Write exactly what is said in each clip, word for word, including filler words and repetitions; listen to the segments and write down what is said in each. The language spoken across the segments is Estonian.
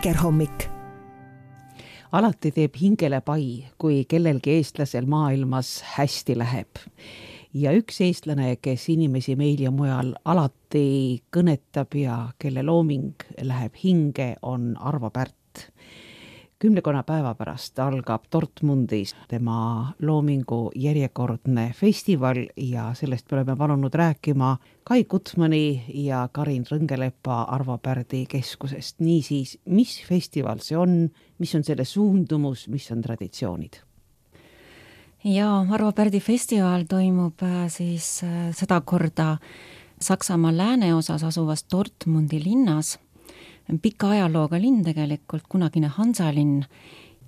Vikerhommik. Alati teeb hingele pai, kui kellelgi eestlasel maailmas hästi läheb. Ja üks eestlane, kes inimesi meil ja mujal alati kõnetab ja kelle looming läheb hinge, on Arvo Pärt. Kümnekonna päeva pärast algab Dortmundis tema loomingu järjekordne festival ja sellest me oleme palunud rääkima Kai Gutmani ja Karin Rõngelepa Arvo Pärdi keskusest. Niisiis, mis festival see on, mis on selle suundumus, mis on traditsioonid? Ja Arvo Pärdi festival toimub siis seda korda Saksamaa lääneosas asuvas Dortmundi linnas. Pika ajalooga linn tegelikult, kunagine Hansalinn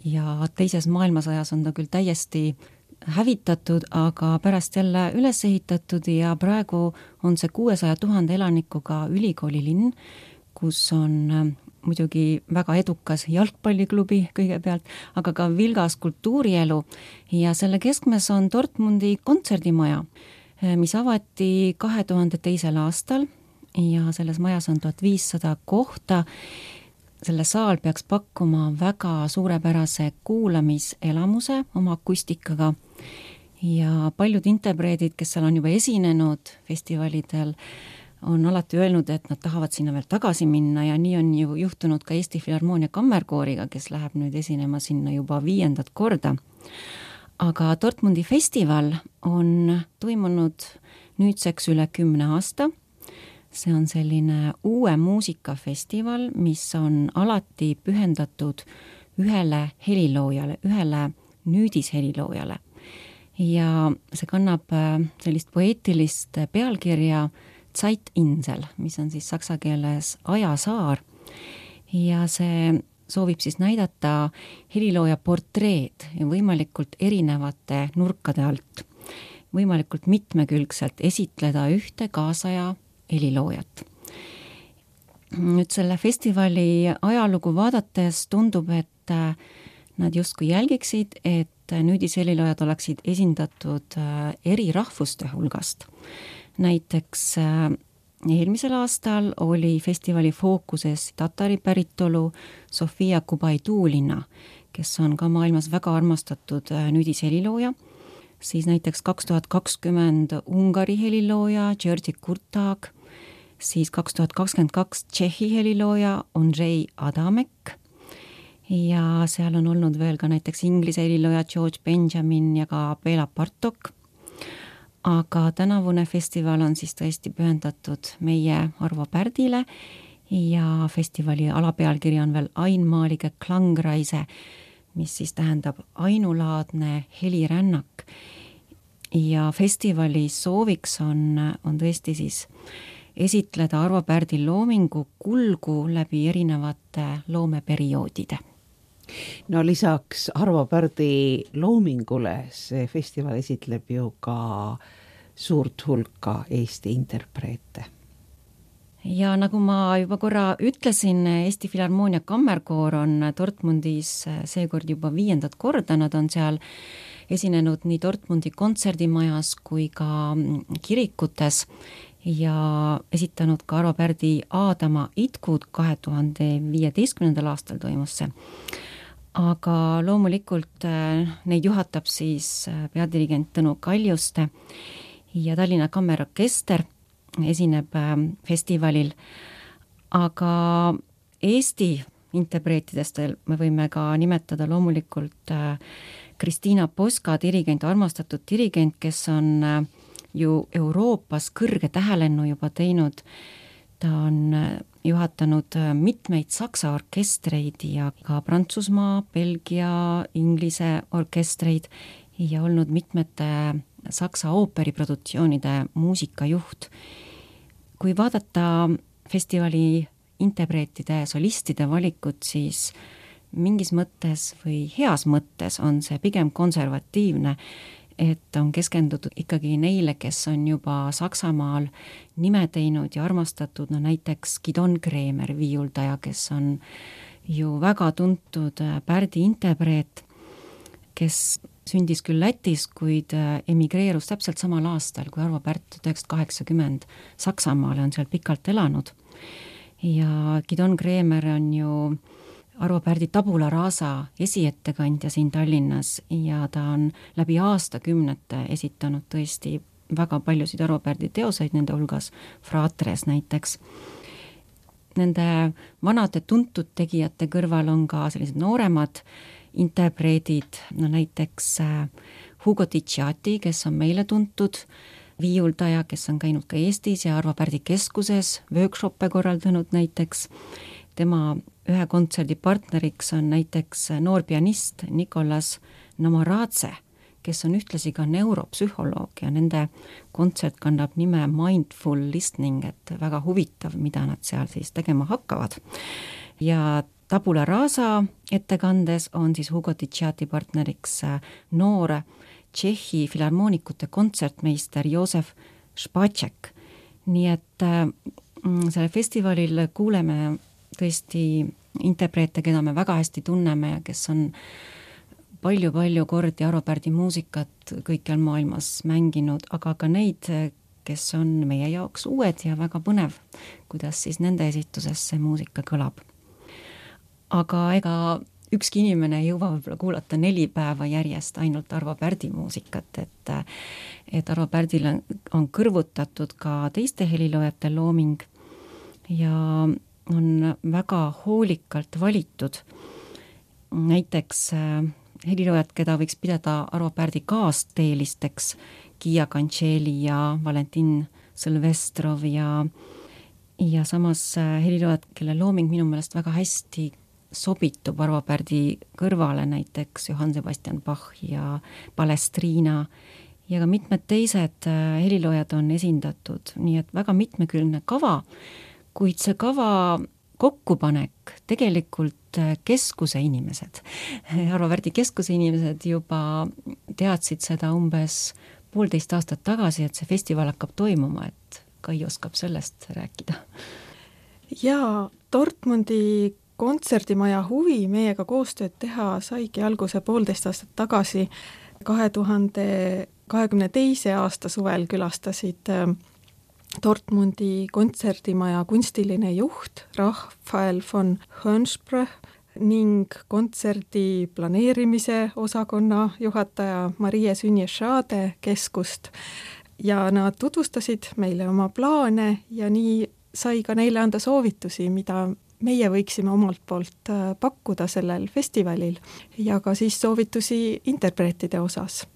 ja teises maailmasõjas on ta küll täiesti hävitatud, aga pärast jälle üles ehitatud ja praegu on see kuuesaja tuhande elanikuga ülikoolilinn, kus on muidugi väga edukas jalgpalliklubi kõigepealt, aga ka vilgas kultuurielu ja selle keskmes on Dortmundi kontserdimaja, mis avati kahe tuhande teisel aastal ja selles majas on tuhat viissada kohta. Selle saal peaks pakkuma väga suurepärase kuulamiselamuse oma akustikaga ja paljud interpreedid, kes seal on juba esinenud festivalidel, on alati öelnud, et nad tahavad sinna veel tagasi minna ja nii on ju juhtunud ka Eesti Filharmoonia Kammerkooriga, kes läheb nüüd esinema sinna juba viiendat korda. Aga Dortmundi festival on toimunud nüüdseks üle kümne aasta. See on selline uue muusikafestival, mis on alati pühendatud ühele heliloojale, ühele nüüdisheliloojale. Ja see kannab sellist poeetilist pealkirja Zeitinsel, mis on siis saksa keeles ajasaar. Ja see soovib siis näidata helilooja portreed ja võimalikult erinevate nurkade alt, võimalikult mitmekülgselt esitleda ühte kaasaja heliloojat. Nüüd selle festivali ajalugu vaadates tundub, et nad justkui jälgiksid, et nüüdisheliloojad oleksid esindatud eri rahvuste hulgast. Näiteks eelmisel aastal oli festivali fookuses tatari päritolu Sofia Kubaidulina, kes on ka maailmas väga armastatud nüüdishelilooja. Siis näiteks kaks tuhat kakskümmend Ungari helilooja György Kurtag, siis kaks tuhat kakskümmend kaks Tšehhi helilooja Ondřej Adamek ja seal on olnud veel ka näiteks Inglise helilooja George Benjamin ja ka Bela Bartok. Aga tänavune festival on siis tõesti pühendatud meie Arvo Pärdile ja festivali alapealkiri on veel Einmalige Klangreise, mis siis tähendab ainulaadne helirännak. Ja festivali sooviks on, on tõesti siis esitleda Arvo Pärdi loomingu kulgu läbi erinevate loomeperioodide. No lisaks Arvo Pärdi loomingule see festival esitleb ju ka suurt hulka Eesti interpreete. Ja nagu ma juba korra ütlesin, Eesti Filharmoonia Kammerkoor on Dortmundis seekord juba viiendat korda, nad on seal esinenud nii Dortmundi kontserdimajas kui ka kirikutes ja esitanud ka Arvo Pärdi Aadama itkud kahe tuhande viieteistkümnendal aastal toimus see. Aga loomulikult neid juhatab siis peadirigent Tõnu Kaljuste ja Tallinna Kammerorkester esineb festivalil, aga Eesti interpreetidest me võime ka nimetada loomulikult Kristiina Poska, dirigent, armastatud dirigent, kes on ju Euroopas kõrge tähelennu juba teinud. Ta on juhatanud mitmeid saksa orkestreid ja ka Prantsusmaa, Belgia, Inglise orkestreid ja olnud mitmete saksa ooperiproduktsioonide muusikajuht. Kui vaadata festivali interpreetide, solistide valikut, siis mingis mõttes või heas mõttes on see pigem konservatiivne, et on keskendutud ikkagi neile, kes on juba Saksamaal nime teinud ja armastatud, no näiteks Gidon Kremer, viiuldaja, kes on ju väga tuntud Pärdi interpreet, kes sündis küll Lätis, kuid emigreerus täpselt samal aastal kui Arvo Pärt tuhat üheksasada kaheksakümmend Saksamaale, on seal pikalt elanud. Ja Gidon Kremer on ju Arvo Pärdi Tabula Rasa esiettekandja siin Tallinnas ja ta on läbi aastakümnete esitanud tõesti väga paljusid Arvo Pärdi teoseid, nende hulgas Fratres näiteks. Nende vanade tuntud tegijate kõrval on ka sellised nooremad interpreedid, no näiteks Hugo Ticciati, kes on meile tuntud viiuldaja, kes on käinud ka Eestis ja Arvo Pärdi keskuses workshoppe korraldanud näiteks. Tema ühe kontserdi partneriks on näiteks noor pianist Nicolas Namaradze, kes on ühtlasi ka neuropsühholoog ja nende kontsert kannab nime Mindful Listening, et väga huvitav, mida nad seal siis tegema hakkavad. Ja Tabula Rasa ettekandes on siis Hugo Ticciati partneriks noor Tšehhi filharmoonikute kontsertmeister Josef Špaček. Nii et selle festivalil kuuleme tõesti interpreete, keda me väga hästi tunneme ja kes on palju-palju kordi Arvo Pärdi muusikat kõikjal maailmas mänginud, aga ka neid, kes on meie jaoks uued ja väga põnev, kuidas siis nende esituses see muusika kõlab. Aga ega ükski inimene ei jõua võib-olla kuulata neli päeva järjest ainult Arvo Pärdi muusikat, et, et Arvo Pärdil on, on kõrvutatud ka teiste heliloojate looming ja on väga hoolikalt valitud. Näiteks heliloojad, keda võiks pidada Arvo Pärdi kaasteelisteks, Gia Cancelli ja Valentin Silvestrov ja, ja samas heliloojad, kelle looming minu meelest väga hästi sobitub Arvo Pärdi kõrvale, näiteks Johann Sebastian Bach ja Palestrina ja ka mitmed teised heliloojad on esindatud, nii et väga mitmekülgne kava, kuid see kava kokkupanek tegelikult keskuse inimesed, Arvo Pärdi keskuse inimesed juba teadsid seda umbes poolteist aastat tagasi, et see festival hakkab toimuma, et Kai oskab sellest rääkida. Ja Dortmundi kontserdimaja huvi meiega koostööd teha saigi alguse poolteist aastat tagasi. kahe tuhande kahekümne teise aasta suvel külastasid Dortmundi kontserdimaja kunstiline juht Raphael von Hönsbrüch ning kontserdi planeerimise osakonna juhataja Marie Sünje-Schade keskust ja nad tutvustasid meile oma plaane ja nii sai ka neile anda soovitusi, mida meie võiksime omalt poolt pakkuda sellel festivalil ja ka siis soovitusi interpreetide osas.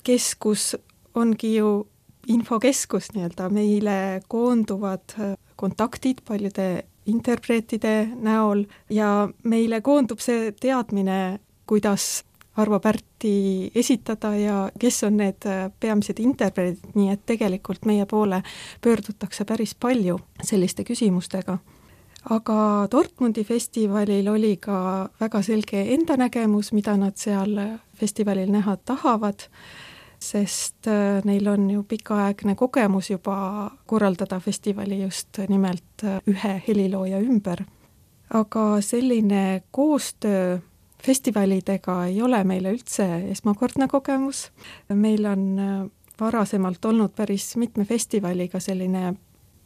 Keskus ongi ju infokeskus nii-öelda, meile koonduvad kontaktid paljude interpreetide näol ja meile koondub see teadmine, kuidas Arvo Pärti esitada ja kes on need peamised interpreedid, nii et tegelikult meie poole pöördutakse päris palju selliste küsimustega. Aga Dortmundi festivalil oli ka väga selge enda nägemus, mida nad seal festivalil näha tahavad, sest neil on ju pikaaegne kogemus juba korraldada festivali just nimelt ühe helilooja ümber. Aga selline koostöö festivalidega ei ole meile üldse esmakordne kogemus. Meil on varasemalt olnud päris mitme festivaliga selline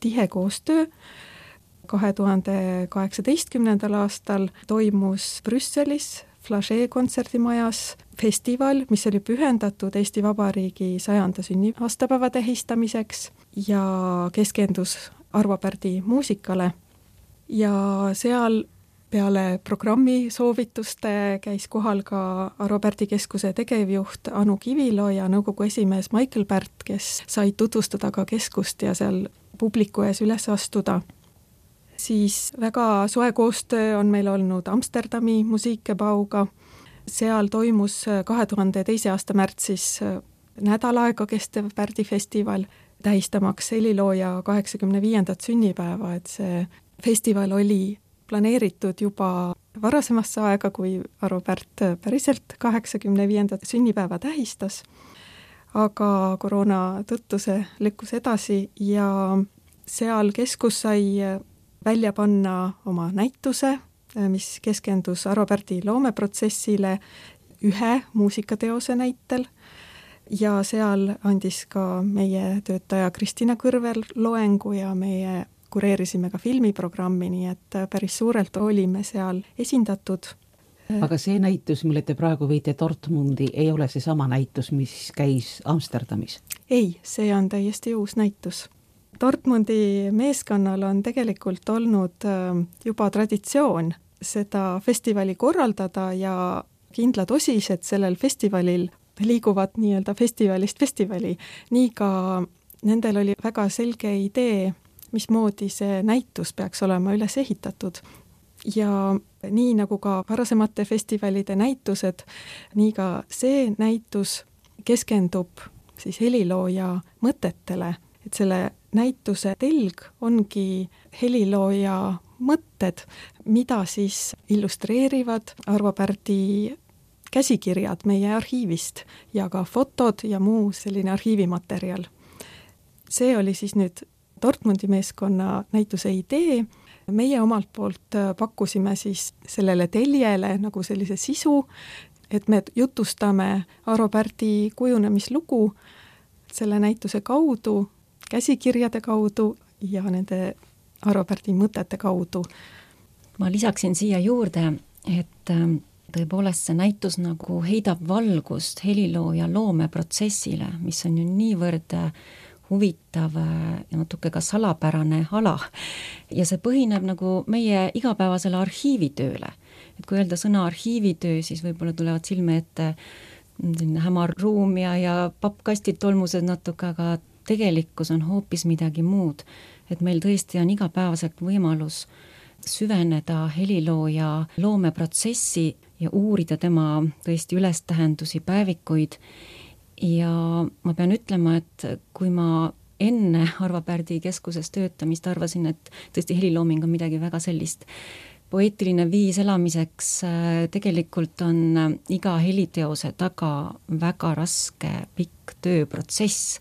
tihe koostöö. kahe tuhande kaheksateistkümnendal aastal toimus Brüsselis Flagey kontserdimajas festival, mis oli pühendatud Eesti Vabariigi sajanda sünniaastapäeva tähistamiseks ja keskendus Arvo Pärdi muusikale. Ja seal peale programmi soovituste käis kohal ka Arvo Pärdi keskuse tegevjuht Anu Kivilo ja nõukogu esimees Michael Pärt, kes said tutvustada ka keskust ja seal publiku ees üles astuda. Siis väga soe koostöö on meil olnud Amsterdami Musikebauga. Seal toimus kahe tuhande teise aasta märtsis nädal aega kestev Pärdi festival, tähistamaks helilooja kaheksakümne viiendat sünnipäeva, et see festival oli planeeritud juba varasemasse aega, kui Arvo Pärt päriselt kaheksakümne viiendat sünnipäeva tähistas, aga koroona tõttu see lükkus edasi ja seal keskus sai välja panna oma näituse, mis keskendus Arvo Pärdi loomeprotsessile ühe muusikateose näitel ja seal andis ka meie töötaja Kristina Kõrvel loengu ja meie kureerisime ka filmiprogrammi, nii et päris suurelt olime seal esindatud. Aga see näitus, mille te praegu viite Dortmundi, ei ole see sama näitus, mis käis Amsterdamis? Ei, see on täiesti uus näitus. Dortmundi meeskonnal on tegelikult olnud juba traditsioon seda festivali korraldada ja kindlad osised sellel festivalil liiguvad nii-öelda festivalist festivali. Nii ka nendel oli väga selge idee, mismoodi see näitus peaks olema üles ehitatud. Ja nii nagu ka varasemate festivalide näitused, nii ka see näitus keskendub siis helilooja mõtetele, et selle näituse telg ongi helilooja mõtted, mida siis illustreerivad Arvo Pärdi käsikirjad meie arhiivist ja ka fotod ja muu selline arhiivimaterjal. See oli siis nüüd Dortmundi meeskonna näituse idee. Meie omalt poolt pakkusime siis sellele teljele nagu sellise sisu, et me jutustame Arvo Pärdi kujunemislugu selle näituse kaudu, käsikirjade kaudu ja nende Arvo Pärdi mõtete kaudu. Ma lisaksin siia juurde, et tõepoolest see näitus nagu heidab valgust helilooja loomeprotsessile, mis on ju niivõrd huvitav ja natuke ka salapärane ala. Ja see põhineb nagu meie igapäevasele arhiivitööle. Et kui öelda sõna arhiivitöö, siis võib-olla tulevad silme ette hämar ruum ja, ja pappkastid tolmused natuke, aga tegelikkus on hoopis midagi muud. Et meil tõesti on igapäevaselt võimalus süveneda helilooja loomeprotsessi ja uurida tema tõesti ülestähendusi, päevikuid. Ja ma pean ütlema, et kui ma enne Arvo Pärdi keskuses töötamist arvasin, et tõesti helilooming on midagi väga sellist poeetiline viis elamiseks, tegelikult on iga heliteose taga väga raske pikk tööprotsess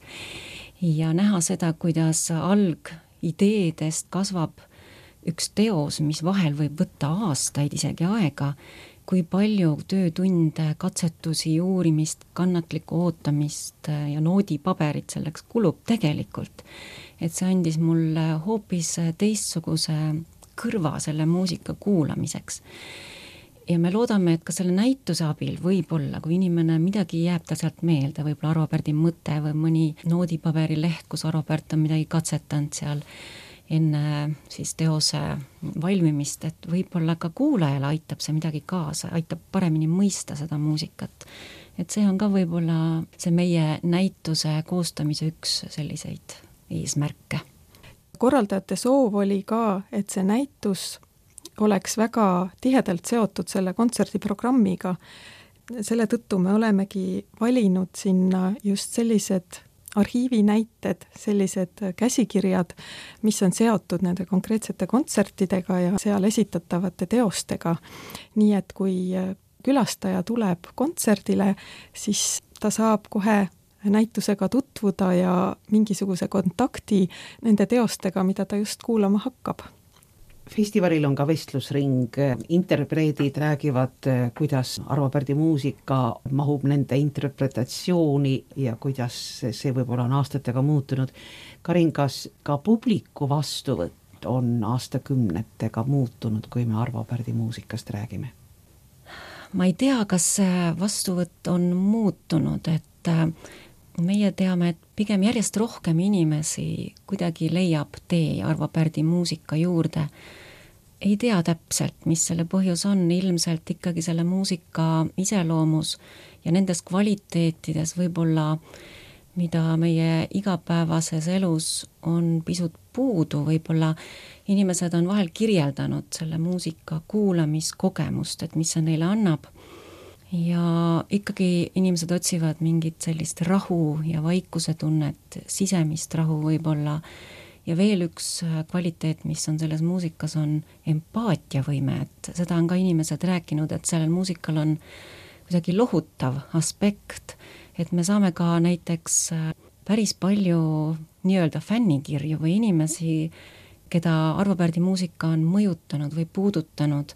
ja näha seda, kuidas algideedest kasvab üks teos, mis vahel võib võtta aastaid isegi aega, kui palju töötunde, katsetusi, uurimist, kannatlikku ootamist ja noodipaberit selleks kulub tegelikult. Et see andis mulle hoopis teistsuguse kõrva selle muusika kuulamiseks. Ja me loodame, et ka selle näituse abil võib-olla, kui inimene midagi jääb ta sealt meelde, võib-olla Arvo Pärdi mõte või mõni noodipaberi leht, kus Arvo Pärt on midagi katsetanud seal enne siis teose valmimist, et võib-olla ka kuulajale aitab see midagi kaasa, aitab paremini mõista seda muusikat. Et see on ka võib-olla see meie näituse koostamise üks selliseid eesmärke. Korraldajate soov oli ka, et see näitus oleks väga tihedalt seotud selle kontserdiprogrammiga. Selle tõttu me olemegi valinud sinna just sellised arhiivinäited, sellised käsikirjad, mis on seotud nende konkreetsete kontsertidega ja seal esitatavate teostega. Nii et kui külastaja tuleb kontserdile, siis ta saab kohe näitusega tutvuda ja mingisuguse kontakti nende teostega, mida ta just kuulama hakkab. Festivalil on ka vestlusring, interpreedid räägivad, kuidas Arvo Pärdi muusika mahub nende interpretatsiooni ja kuidas see võib-olla on aastatega muutunud. Karin, kas ka publiku vastuvõtt on aastakümnetega muutunud, kui me Arvo Pärdi muusikast räägime? Ma ei tea, kas vastuvõtt on muutunud, et meie teame, et pigem järjest rohkem inimesi kuidagi leiab tee Arvo Pärdi muusika juurde. Ei tea täpselt, mis selle põhjus on, ilmselt ikkagi selle muusika iseloomus ja nendes kvaliteetides võib-olla, mida meie igapäevases elus on pisut puudu, võib-olla inimesed on vahel kirjeldanud selle muusika kuulamiskogemust, et mis see neile annab. Ja ikkagi inimesed otsivad mingit sellist rahu ja vaikuse tunnet, sisemist rahu võib-olla. Ja veel üks kvaliteet, mis on selles muusikas, on empaatiavõime, et seda on ka inimesed rääkinud, et sellel muusikal on kuidagi lohutav aspekt, et me saame ka näiteks päris palju nii-öelda fännikirju või inimesi, keda Arvo Pärdi muusika on mõjutanud või puudutanud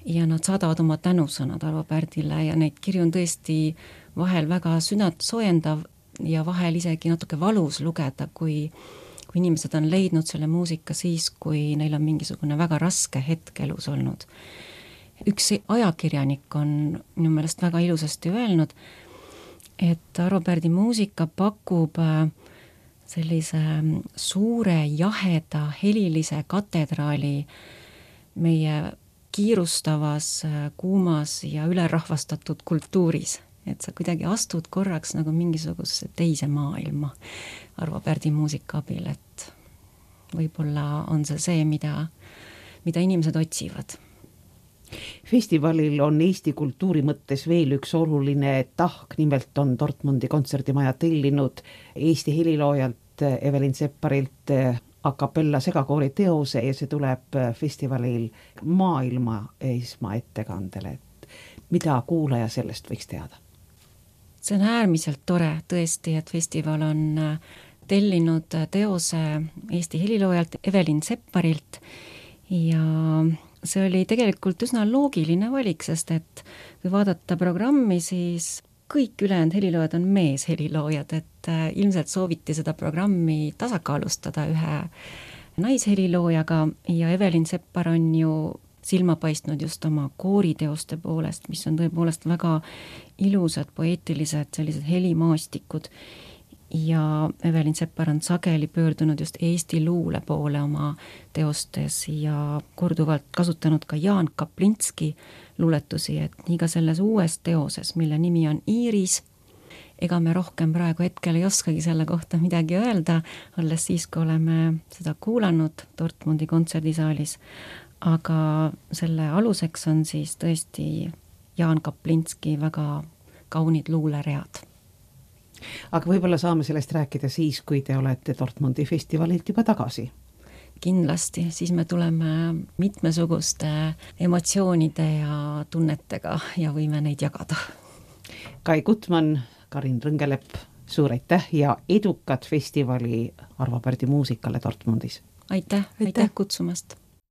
ja nad saadavad oma tänusõnad Arvo Pärdile ja neid kirju on tõesti vahel väga südant soojendav ja vahel isegi natuke valus lugeda, kui kui kui inimesed on leidnud selle muusika siis, kui neil on mingisugune väga raske hetk elus olnud. Üks ajakirjanik on minu meelest väga ilusasti öelnud, et Arvo Pärdi muusika pakub sellise suure, jaheda, helilise katedraali meie kiirustavas, kuumas ja ülerahvastatud kultuuris. Et sa kuidagi astud korraks nagu mingisugusesse teise maailma Arvo Pärdi muusika abil, et võib-olla on see see, mida, mida inimesed otsivad. Festivalil on Eesti kultuuri mõttes veel üks oluline tahk, nimelt on Dortmundi kontserdimaja tellinud Eesti heliloojalt Evelin Sepparilt a cappella segakoori teose ja see tuleb festivalil maailma esmaettekandele. Mida kuulaja sellest võiks teada? See on äärmiselt tore tõesti, et festival on tellinud teose Eesti heliloojalt Evelin Sepparilt ja see oli tegelikult üsna loogiline valik, sest et kui vaadata programmi, siis kõik ülejäänud heliloojad on meesheliloojad, et ilmselt sooviti seda programmi tasakaalustada ühe naisheliloojaga ja Evelin Seppar on ju silma paistnud just oma kooriteoste poolest, mis on tõepoolest väga ilusad, poeetilised, sellised helimaastikud. Ja Evelin Seppar on sageli pöördunud just Eesti luule poole oma teostes ja korduvalt kasutanud ka Jaan Kaplinski luuletusi, et nii ka selles uues teoses, mille nimi on Iiris. Ega me rohkem praegu hetkel ei oskagi selle kohta midagi öelda, alles siis, kui oleme seda kuulanud Dortmundi kontserdisaalis. Aga selle aluseks on siis tõesti Jaan Kaplinski väga kaunid luuleread. Aga võib-olla saame sellest rääkida siis, kui te olete Dortmundi festivalilt juba tagasi. Kindlasti, siis me tuleme mitmesuguste emotsioonide ja tunnetega ja võime neid jagada. Kai Gutmann, Karin Rõngelepp, suur aitäh ja edukat festivali Arvo Pärdi muusikale Dortmundis. Aitäh, aitäh, aitäh kutsumast!